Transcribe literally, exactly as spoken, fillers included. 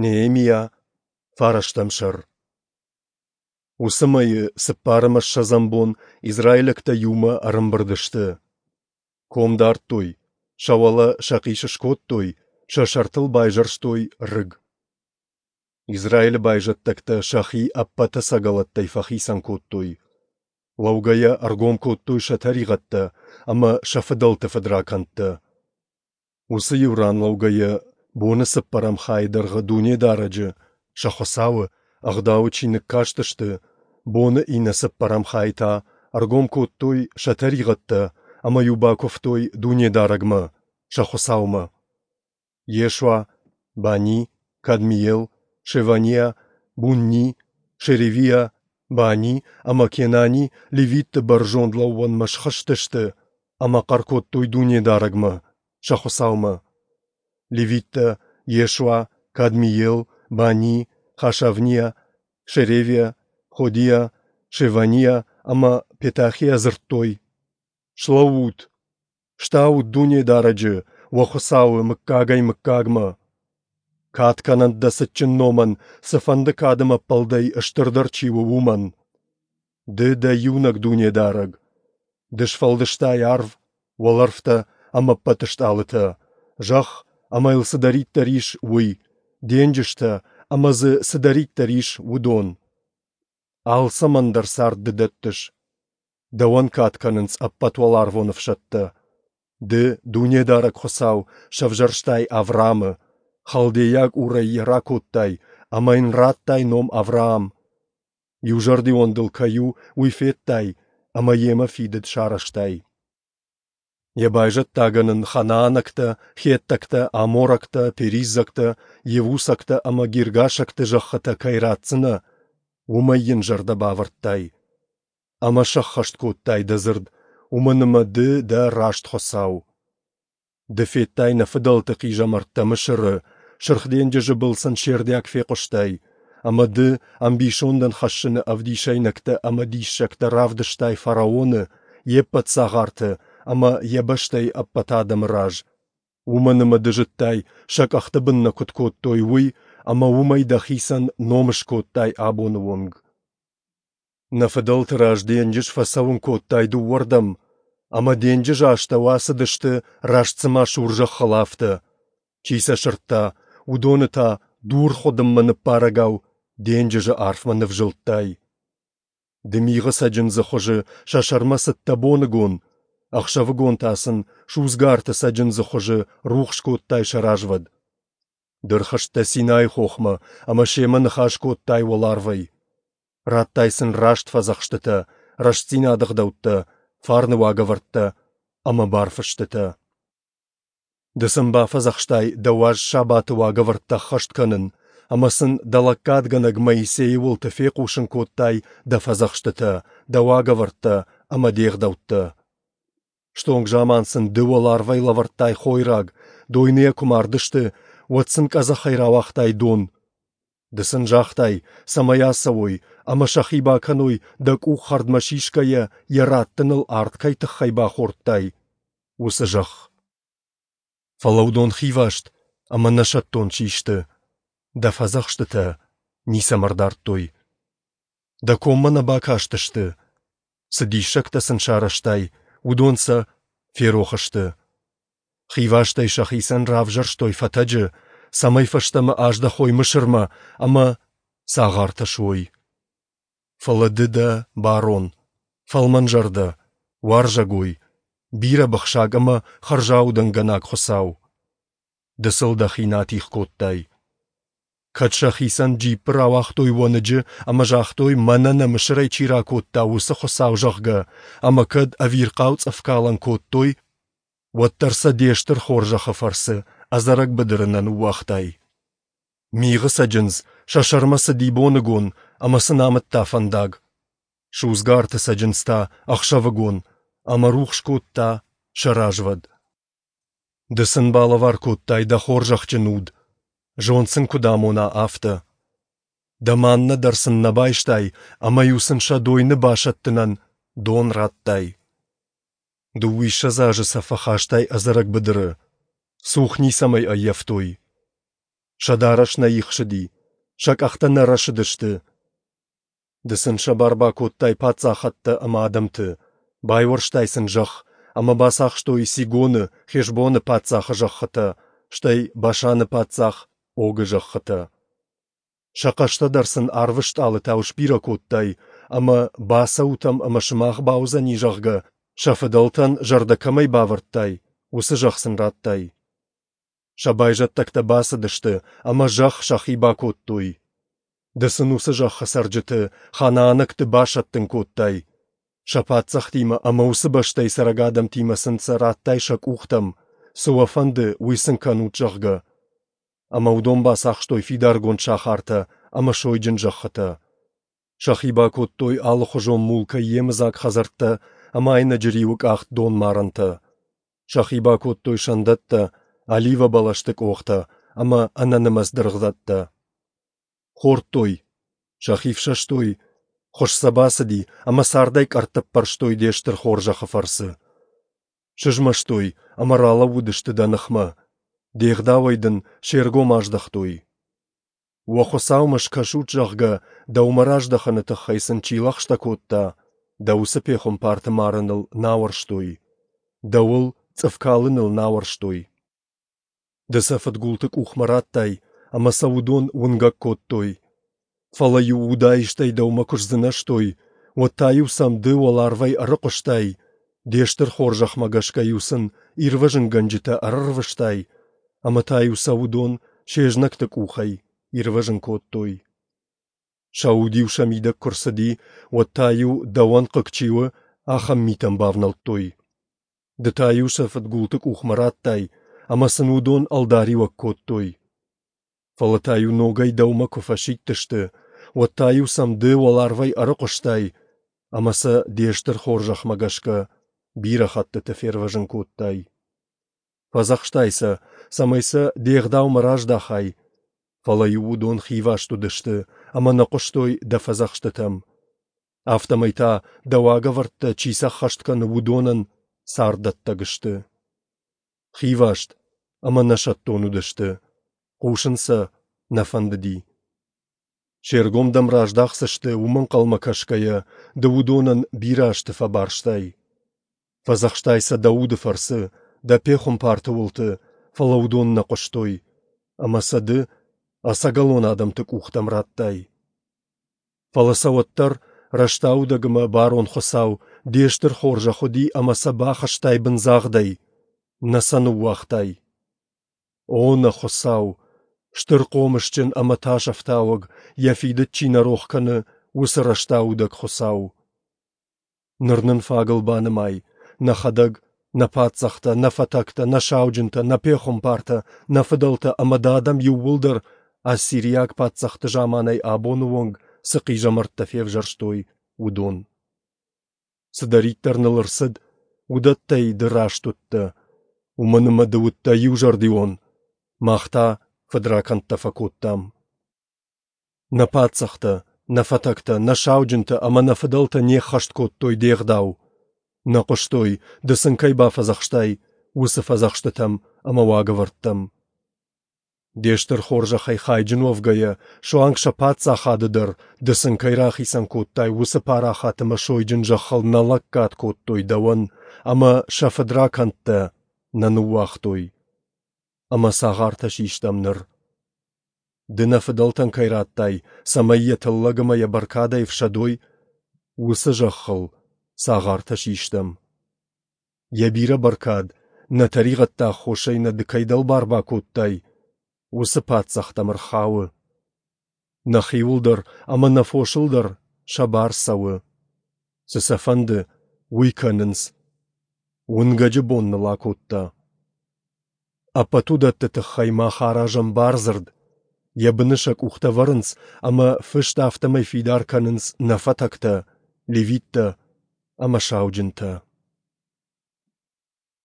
Неемиа, фарӕстӕм сӕр. Уыцы мӕйы цыппар ӕмӕ ссӕдзӕм бон израилӕгтӕ иумӕ ӕрӕмбырд сты. Ком дардтой, сӕ уӕлӕ сӕхъис скодтой, сӕ сӕртыл байзӕрстой рыг. Израилы байзӕддӕгтӕ сӕхи ӕппӕт ӕцӕгӕлӕттӕй фӕхицӕн кодтой. Лӕугӕйӕ ӕргом кодтой сӕ тӕригъӕдтӕ ӕмӕ сӕ фыдӕлты фыдракӕндтӕ. Уыцы иу ран лӕугӕйӕ, боны цыппӕрӕм хайы дӕргъы Дунедарӕджы, сӕ Хуыцауы, Ӕгъдауы чиныг кастысты, боны иннӕ цыппӕрӕм хайы та ӕргом кодтой сӕ тӕригъӕдтӕ ӕмӕ-иу бакуывтой Дунедарӕгмӕ, сӕ Хуыцаумӕ. Йешуа, Бани, Кадмиел, Шеваниа, Бунни, Шеревиа, Бани ӕмӕ Кенани левитты бӕрзонд лӕууӕнмӕ схызтысты ӕмӕ хъӕр кодтой Дунедарӕгмӕ, сӕ Хуыцаумӕ. Левиттӕ Йешуа, Кадмиел, Бани, Хашавниа, Шеревиа, Ходиа, Шеваниа ӕмӕ Петахиа дзырдтой: «Слӕуут! Стаут Дунедарӕджы, уӕ Хуыцауы, мыггагӕй-мыггагмӕ! Кад кӕнӕнт дӕ цытджын номӕн, цыфӕнды кад ӕмӕ ӕппӕлдӕй стырдӕр чи у, уымӕн! Ды дӕ иунӕг Дунедарӕг. Ды сфӕлдыстай арв, уӕлӕрвтӕ ӕмӕ ӕппӕт стъалытӕ, зӕхх ӕмӕ йыл цыдӕриддӕр ис, уый, денджызтӕ ӕмӕ дзы цыдӕриддӕр ис, уыдон. Алцӕмӕн дӕр цард ды дӕттыс. Дӕуӕн кад кӕнынц ӕппӕт уӕларвон ӕфсӕдтӕ. Ды, Дунедарӕг Хуыцау, сӕвзӕрстай Авраамы, халдейаг Урӕй йӕ ракодтай ӕмӕ йын радтай ном Авраам. Иузӕрдион дыл кӕй у, уый федтай ӕмӕ йемӕ фидыд сарӕзтай. Йӕ байзӕддагӕн ын ханаанӕгтӕ, хеттӕгтӕ, аморӕгтӕ, периззӕгтӕ, йевусӕгтӕ ӕмӕ гиргашӕгты зӕххытӕ кӕй ратдзынӕ, уымӕй йын зӕрдӕ бавӕрдтай. Ӕмӕ сӕххӕст кодтай дӕ дзырд, уымӕн ӕмӕ ды дӕ раст Хуыцау. Ды федтай нӕ фыдӕлты хъизӕмӕрттӕ Мысыры, Сырх денджызы был сын се рдиаг фехъуыстай, ӕмӕ ды ӕмбисондӕн хӕссыны ӕвдисӕйнӕгтӕ ӕмӕ диссӕгтӕ равдыстай фараоны, йе ппӕт цагъарты ӕмӕ йӕ бӕстӕйы ӕппӕт адӕмы раз. Уымӕн ӕмӕ ды зыдтай, сӕ къӕхты бын нӕ куыд кодтой, уый, ӕмӕ уымӕй дӕхицӕн ном скодтай абоны онг. Нӕ фыдӕлты раз денджыз фӕцӕуын кодтай дыууӕрдӕм, ӕмӕ денджызы астӕу ацыдысты, раст цыма сур зӕххыл, афтӕ. Чи сӕ сырдта, уыдоны та дур хуыдыммӕ ныппарӕгау денджызы арфмӕ нывзылдтай. Ды мигъы цӕджындзы хуызы сӕ сӕрмӕ цыдтӕ боныгон, ӕхсӕвыгон та сын судзгӕ арты цӕджындзы хуызы рухс кодтай сӕ развӕд. Ды рхызтӕ Синайы хохмӕ ӕмӕ семӕ ныхас кодтай уӕларвӕй. Радтай сын раст фӕдзӕхстытӕ, рӕстдзинады ӕгъдӕуттӕ, фарны уагӕвӕрдтӕ ӕмӕ барфыстытӕ. Ды сын бафӕдзӕхстай дӕ уаз сабаты уагӕвӕрдтӕ ӕххӕст кӕнын ӕмӕ сын дӕ лӕггадгӕнӕг Моисейы уылты фехъусын кодтай дӕ фӕдзӕхстытӕ, дӕ уагӕвӕрдтӕ ӕмӕ де гъдӕуттӕ. Стонг заман сын ды уӕларвӕй лӕвӕрдтай хойраг, дойныйӕ куы мардысты, уӕд сын къӕдзӕхӕй рауагътай дон. Ды сын загътай, цӕмӕй ацӕуой ӕмӕ сӕхи бакӕной, дӕ къух хӕрдмӕ сисгӕйӕ йӕ раттыныл ард кӕй тыххӕй бахордтай, уыцы зӕхх. Фӕлӕ уыдон хиваст ӕмӕ нӕсӕттон систы, дӕ фӕдзӕхстытӕ ницӕмӕ ӕрдардтой. Дӕ коммӕ нӕ бакастысты, цы диссӕгтӕ сын сарӕзтай, уыдон сӕ ферох сты. Хивастӕй сӕхицӕн равзӕрстой фӕтӕджы, цӕмӕй фӕстӕмӕ аздӕхой Мысырмӕ ӕмӕ цагъартӕ суой. Фӕлӕ ды дӕ барон, фӕлмӕнзӕрдӕ, уарзӕгой, бирӕбыхсаг ӕмӕ хӕрзаудӕнгӕнӕг Хуыцау. Ды сыл дӕхи нӕ атигъ кодтай. Кӕд сӕхицӕн джиппы рауагътой уӕныджы ӕмӕ загътой, мӕнӕ нӕ Мысырӕй чи ракодта, уыцы Хуыцау, зӕгъгӕ, ӕмӕ кӕд ӕвирхъау цъыфкалӕн кодтой, уӕддӕр сӕ де стыр хорзӕхы фӕрцы ӕдзӕрӕг быдыры нӕ ныууагътай. Мигъы цӕджындз сӕ сӕрмӕ цыди боныгон ӕмӕ сын амыдта фӕндаг. Судзгӕ арты цӕджындз та ӕхсӕвыгон ӕмӕ рухс кодта сӕ развӕд. Ды сын балӕвар кодтай дӕ хорзӕхджын уд, зонд сын куыд амона, афтӕ. Дӕ маннӕ дӕр сын нӕ байстай ӕмӕ-иу сын сӕ дойны басӕттынӕн дон радтай. Дыууиссӕдз азы сӕ фӕхастай ӕдзӕрӕг быдыры, цух ницӕмӕй ӕййӕфтой. Сӕ дарӕс нӕ ихсыди, сӕ къӕхтӕ нӕ рӕсыдысты. Ды сын сӕ бар бакодтай паддзахӕдтӕ ӕмӕ адӕмты, байуӕрстай сын зӕхх, ӕмӕ бацахстой Сигоны, Хешбоны паддзахы зӕххытӕ, стӕй Башаны паддзах Огы зӕххытӕ. Сӕ хъӕстӕ дӕр сын арвы стъалытау сбирӕ кодтай, ӕмӕ, бацӕут ӕм ӕмӕ сымах бауыдзӕни, зӕгъгӕ, сӕ фыдӕлтӕн зӕрдӕ кӕмӕй бавӕрдтай, уыцы зӕхх сын радтай. Сӕ байзӕддӕгтӕ бацыдысты ӕмӕ зӕхх сӕхи бакодтой. Ды сын уыцы зӕххы цӕрджыты, ханаанӕгты, басӕттын кодтай. Сӕ паддзӕхтимӕ ӕмӕ уыцы бӕстӕйы цӕрӕг адӕмтимӕ сын сӕ радтай сӕ къухтӕм, цы уӕ фӕнды, уый сын кӕнут, зӕгъгӕ. Ӕмӕ уыдон бацахстой фидаргонд сахартӕ ӕмӕ сойджын зӕххытӕ. Сӕхи бакодтой алыхуызон мулкӕй йемыдзаг хӕдзӕрттӕ ӕмӕ айнӕджы риуы къахт донмарӕнтӕ. Сӕхи бакодтой сӕндӕттӕ, оливӕбӕлӕсты къохтӕ ӕмӕ ӕнӕнымӕц дыргъдӕттӕ. Хордтой, сӕхи фсӕстой, хуыз сӕ бацыди ӕмӕ цардӕй къӕртт ӕппӕрстой де стыр хорзӕхы фӕрцы. Сызмӕстой ӕмӕ ралӕууыдысты дӕ ныхмӕ, де гъдауӕй дын се ргом аздӕхтой. Уӕ Хуыцаумӕ скӕсут, зӕгъгӕ, дӕумӕ раздӕхыны тыххӕй сын чи лӕгъстӕ кодта, дӕ уыцы пехуымпарты марыныл нӕ ауӕрстой, дӕуыл цъыф калыныл нӕ ауӕрстой. Ды сӕ фыдгулты къухмӕ радтай, ӕмӕ сӕ уыдон уынгӕг кодтой. Фӕлӕ-иу удаистӕй дӕумӕ куы сдзынӕзтой, уӕд та-иу сӕм ды уӕларвӕй ӕрыхъуыстай, де стыр хорзӕхмӕ гӕсгӕ-иу сын ирвӕзынгӕнджытӕ ӕрӕрвыстай, ӕмӕ та-иу сӕ уыдон се знӕгты къухӕй ирвӕзын кодтой. Сӕ уд-иу сӕ мидӕг куы рцыди, уӕд та-иу, дӕуӕн хъыг чи у, ахӕм митӕм бавнӕлдтой. Ды та-иу сӕ фыдгулты къухмӕ радтай, ӕмӕ сын уыдон ӕлдариуӕг кодтой. Фӕлӕ та-иу ногӕй дӕумӕ куы фӕсидтысты, уӕд та-иу сӕм ды уӕларвӕй ӕрыхъуыстай ӕмӕ сӕ де стыр хорзӕхмӕ гӕсгӕ бирӕ хӕттыты фервӕзын кодтай. Фӕдзӕхстай сӕ, цӕмӕй сӕ де гъдаумӕ раздахай, фӕлӕ-иу уыдон хиваст уыдысты ӕмӕ нӕ хъуыстой дӕ фӕдзӕхстытӕм. Афтӕмӕй та дӕ уагӕвӕрдтӕ чи сӕххӕст кӕны, уыдонӕн царддӕттӕг сты. Хиваст ӕмӕ нӕсӕттон уыдысты, хъусын сӕ нӕ фӕндыди. Се ргом дӕм раздахдзысты, уымӕ ӕнхъӕлмӕ кӕсгӕйӕ, ды уыдонӕн бирӕ азты фӕбарстай. Фӕдзӕхстай сӕ дӕ уды фӕрцы, дӕ пехуымпарты уылты, фӕлӕ уыдон нӕ хъуыстой, ӕмӕ сӕ ды ӕцӕгӕлон адӕмты къухтӕм радтай. Фӕлӕ сӕ уӕддӕр рӕстаудӕг ӕмӕ барон Хуыцау де стыр хорзӕх уыди ӕмӕ сӕ бахызтай бындзагъдӕй, нӕ сӕ ныууагътай. О, нӕ Хуыцау, стыр хъомысджын ӕмӕ тасӕфтауӕг, йӕ фидыд чи нӕ рох кӕны, уыцы рӕстаудӕг Хуыцау! Ныр нын фагыл банымай, нӕхӕдӕг, нӕ паддзӕхтӕ, нӕ фӕтӕгтӕ, нӕ сауджынтӕ, нӕ пехуымпартӕ, нӕ фыдӕлтӕ ӕмӕ дӕ адӕм иууылдӕр ассириаг паддзӕхты заманӕй абоны онг цы хъизӕмӕрттӕ февзӕрстой, уыдон. Цыдӕриддӕр ныл ӕрцыд, уыдӕттӕй ды раст уыдтӕ, уымӕн ӕмӕ ды уыдтӕ иузӕрдион, мах та фыдракӕндтӕ фӕкодтам. Нӕ паддзӕхтӕ, нӕ фӕтӕгтӕ, нӕ сауджынтӕ ӕмӕ нӕ фыдӕлтӕ не ххӕст кодтой де гъдау, нӕ хъуыстой, ды сын кӕй бафӕдзӕхстай, уыцы фӕдзӕхстытӕм ӕмӕ уагӕвӕрдтӕм. Де стыр хорзӕхӕй хайджын уӕвгӕйӕ, суанг сӕ паддзахады дӕр, ды сын кӕй рахицӕн кодтай, уыцы парахат ӕмӕ сойджын зӕххыл нӕ лӕггад кодтой дӕуӕн ӕмӕ сӕ фыдракӕндтӕ нӕ ныууагътой. Ӕмӕ цагъартӕ систӕм ныр. Ды нӕ фыдӕлтӕн кӕй радтай, цӕмӕй йӕ тыллӕг ӕмӕ йӕ бӕркадӕй ӕфсӕдой, уыцы зӕххыл цагъартӕ систӕм. Йӕ бирӕ бӕркад, нӕ тӕригъӕдты аххосӕй нӕ ды кӕй дӕлбар бакодтай, уыцы паддзӕхтӕм ӕрхауы. Нӕхиуыл дӕр ӕмӕ нӕ фосыл дӕр сӕ бар цӕуы. Цы сӕ фӕнды, уый кӕнынц. Уынгӕджы бон ныл акодта. Ӕппӕт уыдӕтты тыххӕй мах аразӕм бардзырд, йӕ быны сӕ къухтӕ вӕрынц ӕмӕ фыст афтӕмӕй фидар кӕнынц нӕ фӕтӕгтӕ, левиттӕ ӕмӕ сауджынтӕ.